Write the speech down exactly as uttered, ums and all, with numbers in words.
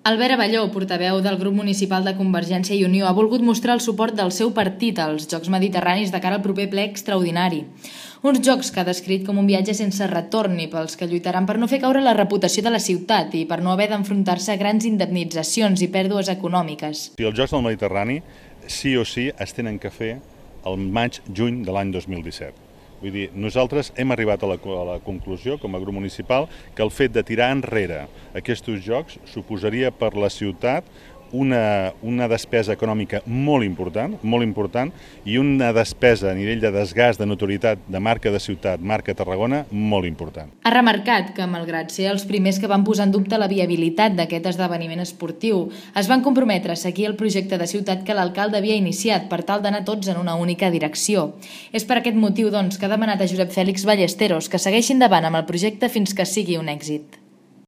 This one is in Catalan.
Albert Abelló, portaveu del grup municipal de Convergència i Unió, ha volgut mostrar el suport del seu partit als Jocs Mediterranis de cara al proper ple extraordinari. Uns jocs que ha descrit com un viatge sense retorn i pels que lluitaran per no fer caure la reputació de la ciutat i per no haver d'enfrontar-se a grans indemnitzacions i pèrdues econòmiques. Els Jocs del Mediterrani sí o sí es tenen que fer el maig-juny de l'any dos mil disset. Vull dir, nosaltres hem arribat a la, a la conclusió, com a grup municipal, que el fet de tirar enrere aquests jocs suposaria per la ciutat una, una despesa econòmica molt important, molt important, i una despesa a nivell de desgast de notorietat de marca de ciutat, marca Tarragona, molt important. Ha remarcat que, malgrat ser els primers que van posar en dubte la viabilitat d'aquest esdeveniment esportiu, es van comprometre a seguir el projecte de ciutat que l'alcalde havia iniciat per tal d'anar tots en una única direcció. És per aquest motiu, doncs, que ha demanat a Josep Fèlix Ballesteros que segueixi endavant amb el projecte fins que sigui un èxit.